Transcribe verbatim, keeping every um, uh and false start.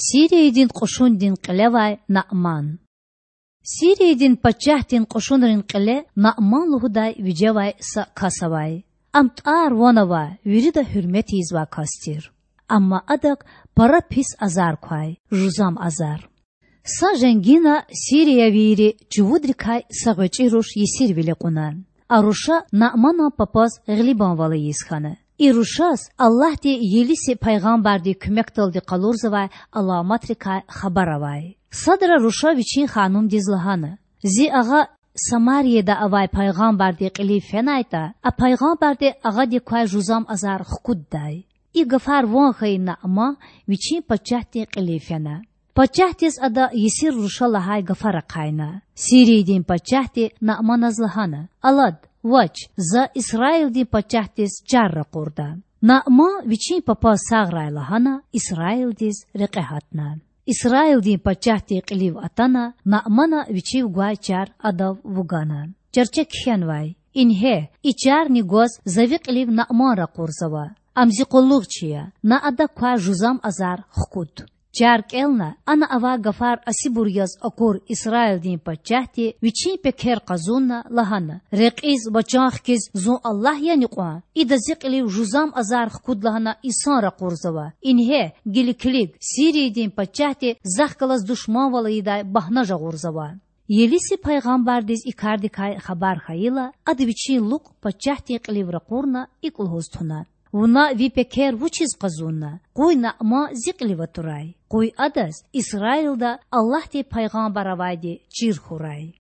Сириядин кьушундин кьилевай Наъман. Сириядин пачагьдин кьушунрин кьиле Наъман лугьудай вижевай са кас авай. Ам тӀвар-ван авай, вирида гьуьрмет ийизвай кас тир. Амма адак пара пис азар квай, жузам азар. Са женгина сириявийри чувудрикай са гъвечӀи руш есирвиле кьуна. А руша Наъманан папаз гъилибанвал ийиз хьана. И рушаз Аллагьди Елиси пайгъамбардин куьмекдалди къалурзавай аламатрикай хабар авай. Садра руша вичин ханумдиз лагьана: Зи агъа Самарияда авай пайгъамбардин кьилив фенайтӀа, а пайгъамбарди агъадик квай жузам азар хкуддай. И гафар ван хьайи Наъман вичин пачагьдин кьилив фена. Пачагьдиз ада есир руша лагьай гафар ахъайна. Сириядин пачагьди Наъманаз лагьана: Алад, вач, за Исраилдин пачагьдиз чар ракъурда. Наъман, вичин папаз сагърай лагьана, Исраилдиз рекье гьатна. Исраилдин пачагьдин кьилив атана, Наъмана вичив гвай чар адав вугана. Чарче кхьенвай: Ингье, и чарни гваз за ви кьилив Наъман ракъурзава. Ам зи къуллугъчи я, на адак квай жузам азар хкуд. Чар кӀелна, ана авай гафар асибур яз акур Исраилдин пачагьди вичин пекер къазунна лагьана: Рекьиз ва чан хкиз зун Аллагь яни кьван? Ида зи кьилив жузам азар хкуд лагьана инсан ракъурзава. Ингье, гила килиг, Сириядин пачагьди захъ галаз душманвал ийидай багьна жагъурзава. Елиси пайгъамбардиз и кардикай хабар хьайила, ада вичин лукӀ пачагьдин кьилив ракъурна икӀ лугьуз туна: Вуна ви пекер вучиз къазунна? Къуй Наъман зи кьилив атурай. Къуй адаз Исраилда Аллагьдин пайгъамбар авайди чир хьурай.